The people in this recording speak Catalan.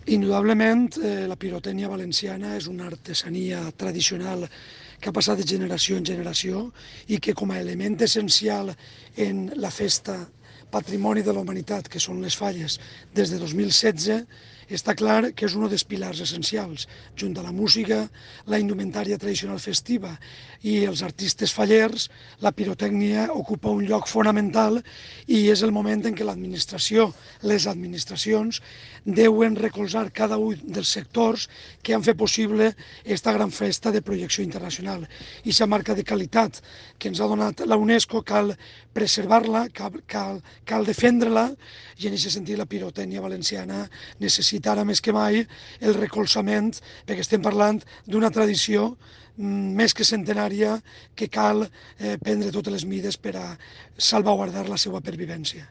Indudablement, la pirotècnia valenciana és una artesania tradicional que ha passat de generació en generació i que com a element essencial en la festa Patrimoni de la Humanitat, que són les Falles, des de 2016, està clar que és un dels pilars essencials, junt a la música, la indumentària tradicional festiva i els artistes fallers, la pirotècnia ocupa un lloc fonamental i és el moment en què l'administració, les administracions, deuen recolzar cada un dels sectors que han fet possible aquesta gran festa de projecció internacional. I aquesta marca de qualitat que ens ha donat la UNESCO cal preservar-la, cal defendre-la, i en aquest sentit la pirotècnia valenciana necessita ara més que mai el recolzament, perquè estem parlant d'una tradició més que centenària que cal prendre totes les mides per a salvaguardar la seva pervivència.